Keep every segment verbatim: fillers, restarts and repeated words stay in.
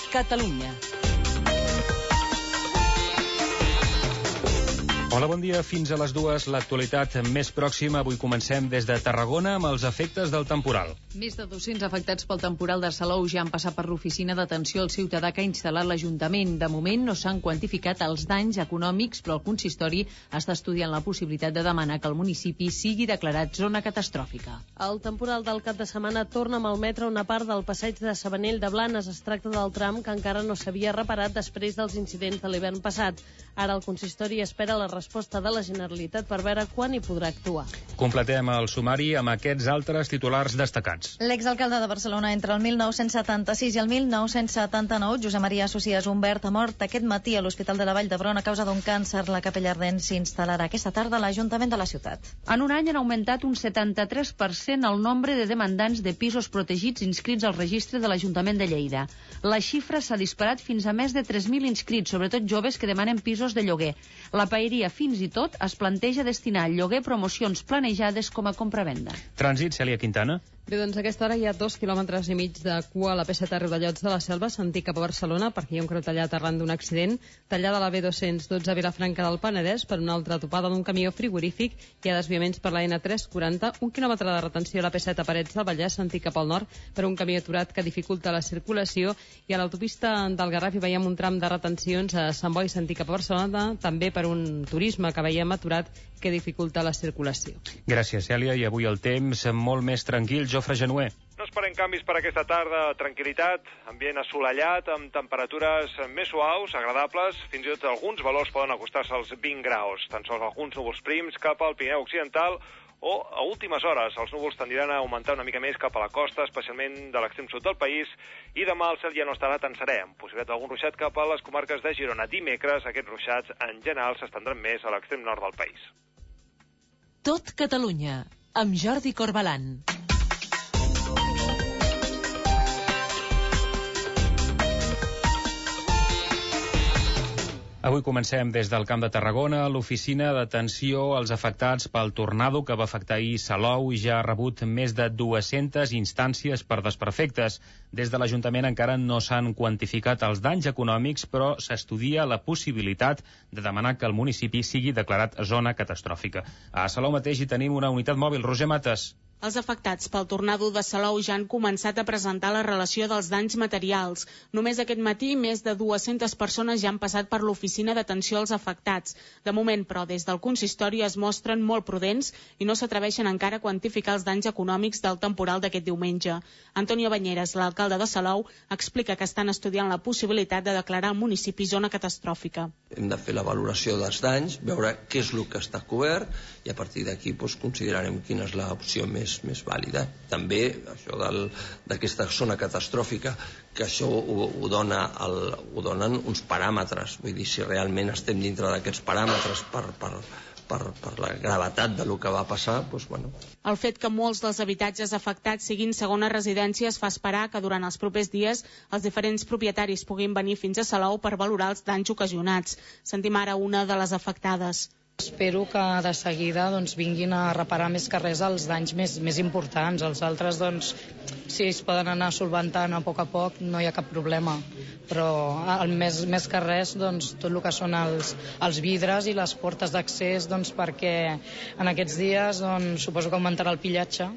Catalunya. Hola, bon dia. Fins a les dues, l'actualitat més pròxima. Avui comencem des de Tarragona amb els efectes del temporal. Més de dos-cents afectats pel temporal de Salou ja han passat per l'oficina d'atenció al ciutadà que ha instal·lat l'Ajuntament. De moment no s'han quantificat els danys econòmics, però el consistori està estudiant la possibilitat de demanar que el municipi sigui declarat zona catastròfica. El temporal del cap de setmana torna a malmetre una part del passeig de Sabanell de Blanes. Es tracta del tram que encara no s'havia reparat després dels incidents de l'hivern passat. Ara el consistori espera la resposta de la Generalitat per veure quan hi podrà actuar. Completem el sumari amb aquests altres titulars destacats. L'exalcalde de Barcelona entre el mil nou-cents setanta-sis i el mil nou-cents setanta-nou, Josep Maria Socias Humbert, ha mort aquest matí a l'Hospital de la Vall d'Hebron a causa d'un càncer. La capella ardent s'instal·larà aquesta tarda a l'Ajuntament de la ciutat. En un any han augmentat un setanta-tres per cent el nombre de demandants de pisos protegits inscrits al registre de l'Ajuntament de Lleida. La xifra s'ha disparat fins a més de tres mil inscrits, sobretot joves que demanen pisos de lloguer. La paeria fins i tot es planteja destinar al lloguer promocions planejades com a compravenda. Trànsit, Cèlia Quintana. Bé, doncs a aquesta hora hi ha dos quilòmetres i mig de cua a la P set a Riudellots de la Selva, sentit cap a Barcelona, perquè hi ha un creu tallat arran d'un accident. Tallada la B dos-cents dotze a Vilafranca del Penedès per una altra topada d'un camió frigorífic. Hi ha desviaments per la N tres quaranta, un quilòmetre de retenció a la P set a Parets del Vallès, sentit cap al nord, per un camió aturat que dificulta la circulació. I a l'autopista del Garraf hi veiem un tram de retencions a Sant Boi, sentit cap a Barcelona, també per un turisme que veiem aturat que dificulta la circulació. Gràcies, Cèlia. I avui el temps molt més tranquil. Jofre Genuer. No esperem canvis per aquesta tarda, tranquil·litat, ambient assolellat, amb temperatures més suaus, agradables, fins i tot alguns valors poden acostar-se als vint graus, tan sols alguns núvols prims cap al Pirineu Occidental, o a últimes hores els núvols tendiran a augmentar una mica més cap a la costa, especialment de l'extrem sud del país, i demà el cel ja no estarà tan serè, amb possibilitat d'algun ruixat cap a les comarques de Girona. Dimecres aquests ruixats en general s'estendran més a l'extrem nord del país. Tot Catalunya, amb Jordi Corbalan. Avui comencem des del Camp de Tarragona. L'oficina d'atenció als afectats pel tornado que va afectar ahir Salou ja ha rebut més de dues-centes instàncies per desperfectes. Des de l'Ajuntament encara no s'han quantificat els danys econòmics, però s'estudia la possibilitat de demanar que el municipi sigui declarat zona catastròfica. A Salou mateix hi tenim una unitat mòbil. Roger Mates. Els afectats pel tornado de Salou ja han començat a presentar la relació dels danys materials. Només aquest matí, més de dues-centes persones ja han passat per l'oficina d'atenció als afectats. De moment, però, des del consistori es mostren molt prudents i no s'atreveixen encara a quantificar els danys econòmics del temporal d'aquest diumenge. Antonio Bañeres, l'alcalde de Salou, explica que estan estudiant la possibilitat de declarar el municipi zona catastròfica. Hem de fer la valoració dels danys, veure què és el que està cobert i a partir d'aquí doncs, considerarem quina és l'opció més més vàlida. També això d'aquesta zona catastròfica, que això ho, ho, dona el, ho donen uns paràmetres, vull dir, si realment estem dintre d'aquests paràmetres per, per, per, per la gravetat de lo que va passar, doncs bueno. El fet que molts dels habitatges afectats siguin segones residències fa esperar que durant els propers dies els diferents propietaris puguin venir fins a Salou per valorar els danys ocasionats. Sentim ara una de les afectades. Espero que de seguida doncs, vinguin a reparar més que res els danys més, més importants. Els altres, doncs, si es poden anar solventant a poc a poc, no hi ha cap problema. Però el més, més que res, doncs, tot el que són els, els vidres i les portes d'accés, doncs, perquè en aquests dies doncs, suposo que augmentarà el pillatge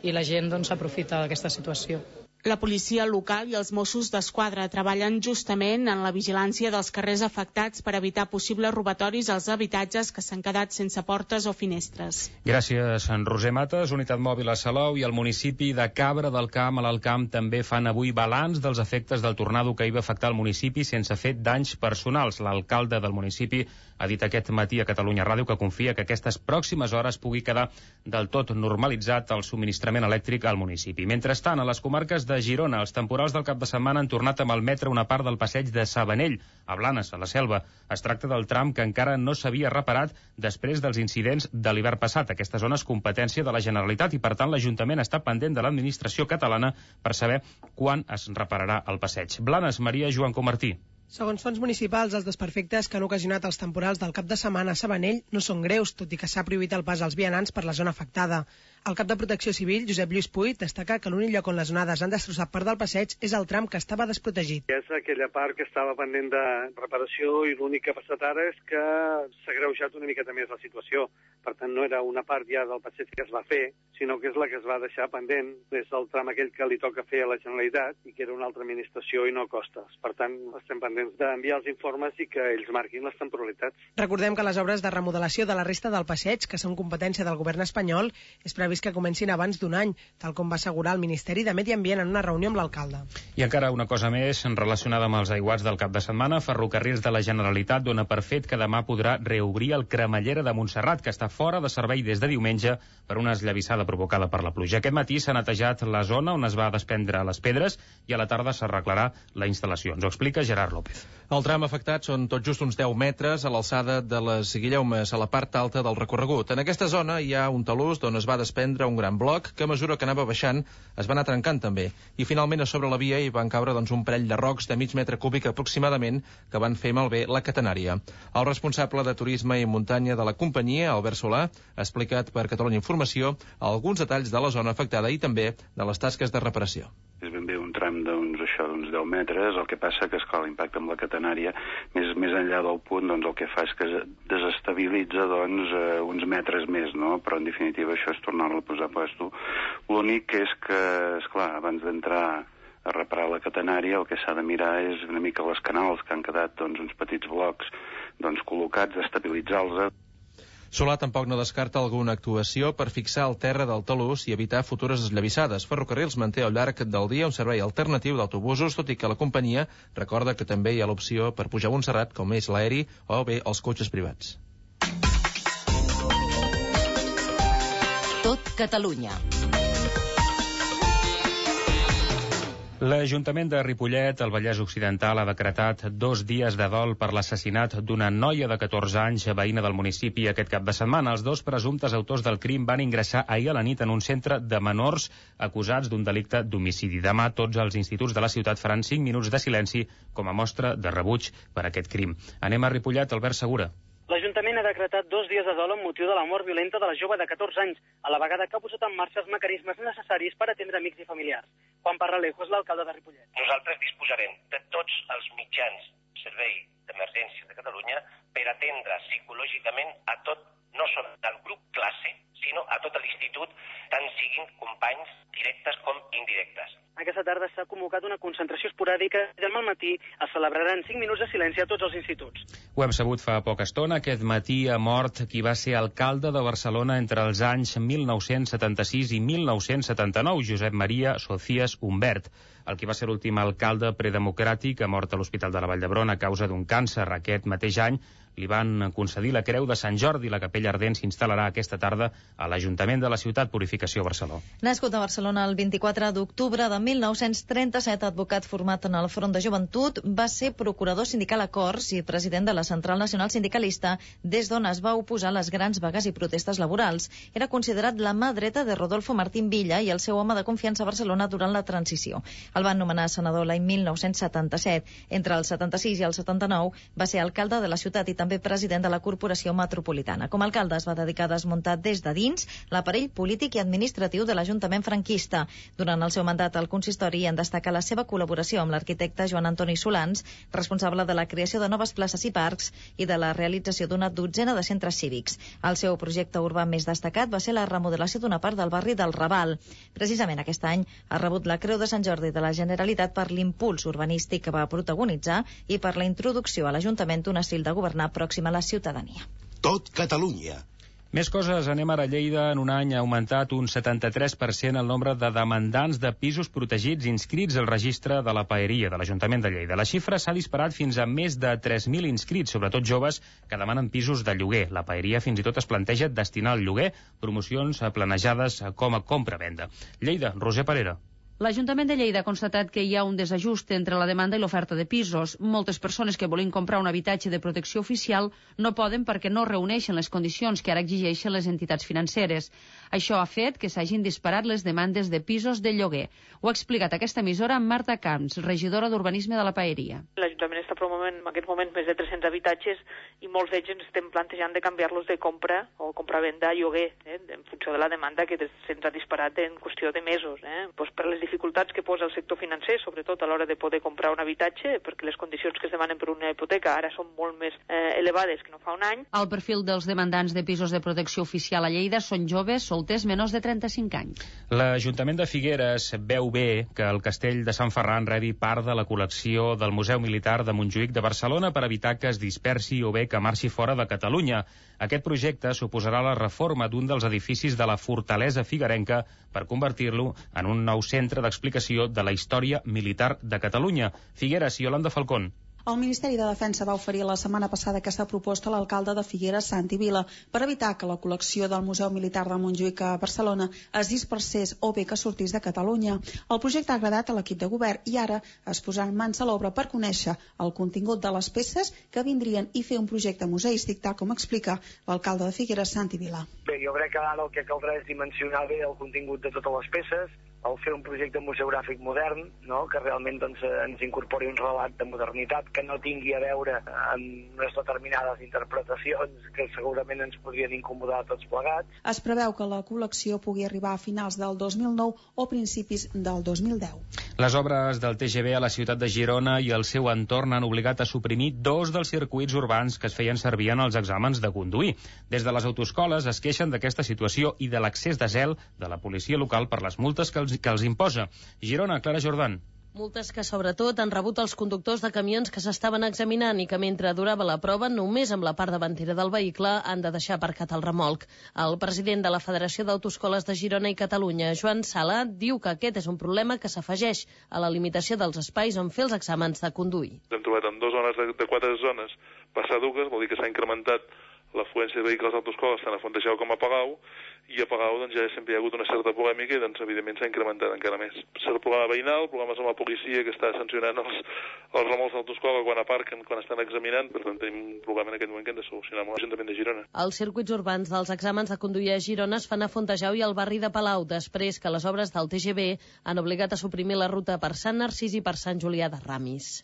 i la gent doncs, s'aprofita d'aquesta situació. La policia local i els Mossos d'Esquadra treballen justament en la vigilància dels carrers afectats per evitar possibles robatoris als habitatges que s'han quedat sense portes o finestres. Gràcies, en Roser Mates. Unitat mòbil a Salou i el municipi de Cabra del Camp a l'Alt Camp també fan avui balanç dels efectes del tornado que hi va afectar el municipi sense fer danys personals. L'alcalde del municipi ha dit aquest matí a Catalunya Ràdio que confia que aquestes pròximes hores pugui quedar del tot normalitzat el subministrament elèctric al municipi. Mentrestant, a les comarques de Girona, els temporals del cap de setmana han tornat a malmetre una part del passeig de Sabanell, a Blanes, a la Selva. Es tracta del tram que encara no s'havia reparat després dels incidents de l'hivern passat. Aquesta zona és competència de la Generalitat i, per tant, l'Ajuntament està pendent de l'administració catalana per saber quan es repararà el passeig. Blanes, Maria Joan Comartí. Segons fonts municipals, els desperfectes que han ocasionat els temporals del cap de setmana a Sabanell no són greus, tot i que s'ha prohibit el pas als vianants per la zona afectada. El cap de Protecció Civil, Josep Lluís Puig, destaca que l'únic lloc on les onades han destrossat part del passeig és el tram que estava desprotegit. És aquella part que estava pendent de reparació i l'únic que ha passat ara és que s'ha greujat una miqueta més la situació. Per tant, no era una part ja del passeig que es va fer, sinó que és la que es va deixar pendent. És el tram aquell que li toca fer a la Generalitat i que era una altra administració i no costes. Per tant, estem pendents d'enviar els informes i que ells marquin les temporalitats. Recordem que les obres de remodelació de la resta del passeig, que són competència del govern espanyol, és previst que comencin abans d'un any, tal com va assegurar el Ministeri de Medi Ambient en una reunió amb l'alcalde. I encara una cosa més relacionada amb els aiguats del cap de setmana. Ferrocarrils de la Generalitat dona per fet que demà podrà reobrir el Cremallera de Montserrat, que està fora de servei des de diumenge per una esllavissada provocada per la pluja. Aquest matí s'ha netejat la zona on es va desprendre les pedres i a la tarda s'arreglarà la instal·lació. Ens ho explica Gerard López. El tram afectat són tot just uns deu metres a l'alçada de les Guillaumes, a la part alta del recorregut. En aquesta zona hi ha un talús d'on es va desprendre un gran bloc que a mesura que anava baixant es va anar trencant també. I finalment a sobre la via hi van caure doncs, un parell de rocs de mig metre cúbic aproximadament que van fer malbé la catenària. El responsable de turisme i muntanya de la companyia, Albert Solà, ha explicat per Catalunya Informació alguns detalls de la zona afectada i també de les tasques de reparació. És ben bé un tram d'uns això d'uns deu metres, el que passa que, esclar, l'impacte amb la catenària, més, més enllà del punt, doncs el que fa és que desestabilitza doncs, eh, uns metres més, no? Però en definitiva això és tornar-lo a posar a puesto. L'únic és que, esclar, abans d'entrar a reparar la catenària, el que s'ha de mirar és una mica les canals que han quedat doncs, uns petits blocs doncs, col·locats, estabilitzar-los. Solà tampoc no descarta alguna actuació per fixar el terra del talús i evitar futures esllavissades. Ferrocarrils manté al llarg del dia un servei alternatiu d'autobusos, tot i que la companyia recorda que també hi ha l'opció per pujar a Montserrat, com és l'aeri o bé els cotxes privats. Tot Catalunya. L'Ajuntament de Ripollet, al Vallès Occidental, ha decretat dos dies de dol per l'assassinat d'una noia de catorze anys, veïna del municipi, aquest cap de setmana. Els dos presumptes autors del crim van ingressar ahir a la nit en un centre de menors acusats d'un delicte d'homicidi. Demà tots els instituts de la ciutat faran cinc minuts de silenci com a mostra de rebuig per aquest crim. Anem a Ripollet, Albert Segura. L'Ajuntament ha decretat dos dies de dol amb motiu de la mort violenta de la jove de catorze anys, a la vegada que ha posat en marxa els mecanismes necessaris per atendre amics i familiars. Juan Parralejo és l'alcalde de Ripollet. Nosaltres disposarem de tots els mitjans servei d'emergència de Catalunya per atendre psicològicament a tot, no sols al grup classe, sinó a tot l'institut, tant siguin companys directes com indirectes. Aquesta tarda s'ha convocat una concentració esporàdica i demà al matí es celebraran cinc minuts de silenci a tots els instituts. Ho hem sabut fa poca estona. Aquest matí ha mort qui va ser alcalde de Barcelona entre els anys mil nou-cents setanta-sis i mil nou-cents setanta-nou, Josep Maria Socias Humbert. El qui va ser l'últim alcalde predemocràtic ha mort a l'Hospital de la Vall d'Hebron a causa d'un càncer. Aquest mateix any li van concedir la Creu de Sant Jordi. La capella ardent s'instal·larà aquesta tarda a l'Ajuntament de la ciutat, Purificació Barcelona. Nascut a Barcelona el vint-i-quatre d'octubre de mil nou-cents trenta-set, advocat format en el Front de Joventut, va ser procurador sindical a Corts i president de la Central Nacional Sindicalista, des d'on es va oposar a les grans vagues i protestes laborals. Era considerat la mà dreta de Rodolfo Martín Villa i el seu home de confiança a Barcelona durant la transició. El van nomenar senador l'any mil nou-cents setanta-set. Entre el setanta-sis i el setanta-nou va ser alcalde de la ciutat i també president de la Corporació Metropolitana. Com a alcalde es va dedicar a desmuntar des de dins l'aparell polític i administratiu de l'Ajuntament franquista. Durant el seu mandat al consistori en destaca la seva col·laboració amb l'arquitecte Joan Antoni Solans, responsable de la creació de noves places i parcs i de la realització d'una dotzena de centres cívics. El seu projecte urbà més destacat va ser la remodelació d'una part del barri del Raval. Precisament aquest any ha rebut la Creu de Sant Jordi de la Generalitat per l'impuls urbanístic que va protagonitzar i per la introducció a l'Ajuntament d'un estil de governar pròxim a la ciutadania. Tot Catalunya. Més coses, anem ara a Lleida. En un any ha augmentat un setanta-tres per cent el nombre de demandants de pisos protegits inscrits al registre de la paeria de l'Ajuntament de Lleida. La xifra s'ha disparat fins a més de tres mil inscrits, sobretot joves que demanen pisos de lloguer. La paeria fins i tot es planteja destinar al lloguer promocions planejades com a compra-venda. Lleida, Roser Parera. L'Ajuntament de Lleida ha constatat que hi ha un desajust entre la demanda i l'oferta de pisos. Moltes persones que volen comprar un habitatge de protecció oficial no poden perquè no reuneixen les condicions que ara exigeixen les entitats financeres. Això ha fet que s'hagin disparat les demandes de pisos de lloguer. Ho ha explicat a aquesta emissora Marta Camps, regidora d'Urbanisme de la Paeria. L'Ajuntament està promovent en aquest moment més de tres-cents habitatges i molts d'ells ens estem plantejant de canviar-los de compra o compra-venda a lloguer, eh, en funció de la demanda que se'ns ha disparat en qüestió de mesos. Eh. Pues per les dificultats que posa el sector financer, sobretot a l'hora de poder comprar un habitatge, perquè les condicions que es demanen per una hipoteca ara són molt més eh, elevades que no fa un any. El perfil dels demandants de pisos de protecció oficial a Lleida són joves, solters, menors de trenta-cinc anys. L'Ajuntament de Figueres veu bé que el castell de Sant Ferran rebi part de la col·lecció del Museu Militar de Montjuïc de Barcelona per evitar que es dispersi o bé que marxi fora de Catalunya. Aquest projecte suposarà la reforma d'un dels edificis de la fortalesa figuerenca per convertir-lo en un nou centre d'explicació de la història militar de Catalunya. Figueres i Yolanda Falcón. El Ministeri de Defensa va oferir la setmana passada aquesta proposta a l'alcalde de Figueres, Santi Vila, per evitar que la col·lecció del Museu Militar de Montjuïc a Barcelona es dispersés o bé que sortís de Catalunya. El projecte ha agradat a l'equip de govern i ara es posaran mans a l'obra per conèixer el contingut de les peces que vindrien i fer un projecte museístic, tal com explica l'alcalde de Figueres, Santi Vila. Bé, jo crec que ara el que caldrà és dimensionar bé el contingut de totes les peces, el fer un projecte museogràfic modern, no? Que realment doncs, ens incorpori un relat de modernitat que no tingui a veure amb unes determinades interpretacions que segurament ens podrien incomodar a tots plegats. Es preveu que la col·lecció pugui arribar a finals del dos mil nou o principis del dos mil deu. Les obres del T G V a la ciutat de Girona i el seu entorn han obligat a suprimir dos dels circuits urbans que es feien servir en els exàmens de conduir. Des de les autoescoles es queixen d'aquesta situació i de l'accés de zel de la policia local per les multes que els que els imposa. Girona, Clara Jordan. Multes que sobretot han rebut els conductors de camions que s'estaven examinant i que mentre durava la prova només amb la part davantera del vehicle han de deixar aparcat el remolc. El president de la Federació d'Autoescoles de Girona i Catalunya, Joan Sala, diu que aquest és un problema que s'afegeix a la limitació dels espais on fer els exàmens de conduir. Hem trobat en dues zones de, de quatre zones passar dues, vol dir que s'ha incrementat l'afluència de vehicles d'autoescoles tant a Fontejau com a Palau, i a Palau doncs, ja sempre hi ha hagut una certa polèmica i doncs, evidentment s'ha incrementat encara més. El problema veïnal, problemes amb la policia que està sancionant els, els remolcs d'autoescola quan aparquen, quan estan examinant, per tant tenim un problema en aquest moment que hem de solucionar amb l'Ajuntament de Girona. Els circuits urbans dels exàmens de conduir a Girona es fan a Fontejau i al barri de Palau, després que les obres del T G V han obligat a suprimir la ruta per Sant Narcís i per Sant Julià de Ramis.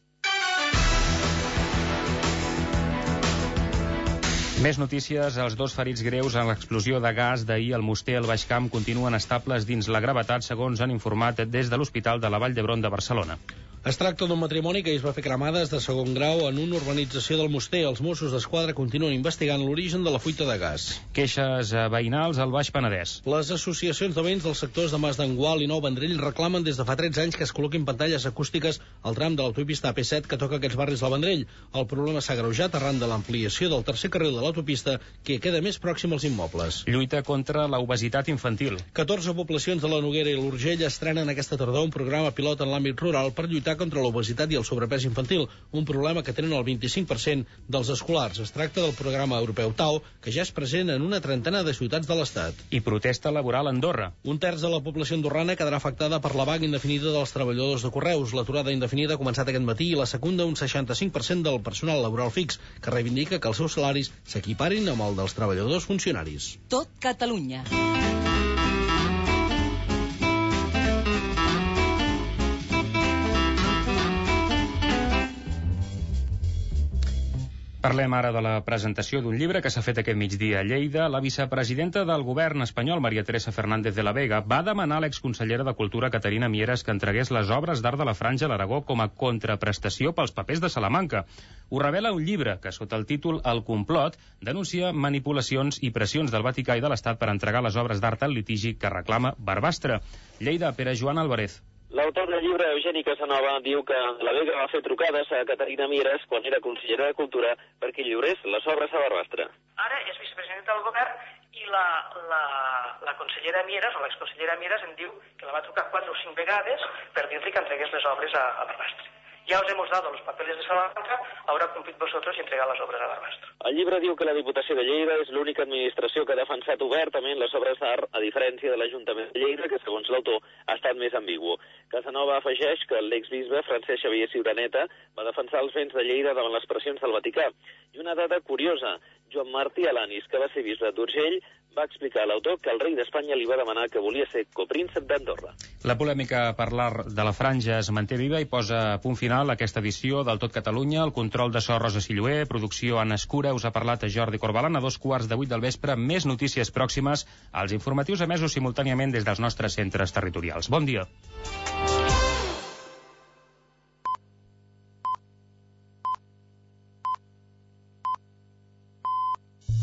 Més notícies. Els dos ferits greus en l'explosió de gas d'ahir al Muster al Baix Camp continuen estables dins la gravetat, segons han informat des de l'Hospital de la Vall d'Hebron de Barcelona. Es tracta d'un matrimoni que es va fer cremades de segon grau en una urbanització del Muster. Els Mossos d'Esquadra continuen investigant l'origen de la fuita de gas. Queixes veïnals al Baix Penedès. Les associacions de veïns dels sectors de Mas d'Engual i Nou Vendrell reclamen des de fa tretze anys que es col·loquin pantalles acústiques al tram de l'autopista A P set que toca aquests barris del Vendrell. El problema s'ha agreujat arran de l'ampliació del tercer carril de l'autopista que queda més pròxim als immobles. Lluita contra l'obesitat infantil. catorze poblacions de la Noguera i l'Urgell estrenen aquesta tardor un programa pilot en l'àmbit rural per lluitar contra l'obesitat i el sobrepès infantil, un problema que tenen el vint-i-cinc per cent dels escolars. Es tracta del programa europeu T A U, que ja és present en una trentena de ciutats de l'Estat. I protesta laboral a Andorra. Un terç de la població andorrana quedarà afectada per la vaga indefinida dels treballadors de correus. L'aturada indefinida ha començat aquest matí i la secunda un seixanta-cinc per cent del personal laboral fix, que reivindica que els seus salaris s'equiparin amb el dels treballadors funcionaris. Tot Catalunya. Parlem ara de la presentació d'un llibre que s'ha fet aquest migdia a Lleida. La vicepresidenta del govern espanyol, Maria Teresa Fernández de la Vega, va demanar a l'exconsellera de Cultura, Caterina Mieres, que entregués les obres d'art de la Franja a l'Aragó com a contraprestació pels papers de Salamanca. Ho revela un llibre que, sota el títol El complot, denuncia manipulacions i pressions del Vaticà i de l'Estat per entregar les obres d'art al litigi que reclama Barbastre. Lleida, Pere Joan Álvarez. L'autor del llibre, Eugeni Casanova, diu que la Vega va fer trucades a Caterina Mieres quan era consellera de Cultura perquè lliurés les obres a Barbastre. Ara és vicepresidenta del govern i la, la, la consellera Mieres, o l'exconsellera Mieres, em diu que la va trucar quatre o cinc vegades per dir-li que entregués les obres a, a Barbastre. ya os hemos dado los papeles de Salamanca, ahora cumplid vosotros y entregad las obras a Barbastro. El llibre diu que la Diputació de Lleida és l'única administració que ha defensat obertament les obres d'art, a diferència de l'Ajuntament de Lleida, que segons l'autor ha estat més ambigu. Casanova afegeix que l'exbisbe Francesc Xavier Ciuraneta va defensar els béns de Lleida davant les pressions del Vaticà. I una dada curiosa, Joan Martí Alanis, que va ser bisbe d'Urgell, va explicar a l'autor que el rei d'Espanya li va demanar que volia ser copríncep d'Andorra. La polèmica per l'art de la franja es manté viva i posa punt final a aquesta edició del Tot Catalunya. El control de so Rosa Silloé, producció Anna Escura, us ha parlat a Jordi Corbalan a dos quarts de vuit del vespre. Més notícies pròximes als informatius emesos simultàniament des dels nostres centres territorials. Bon dia.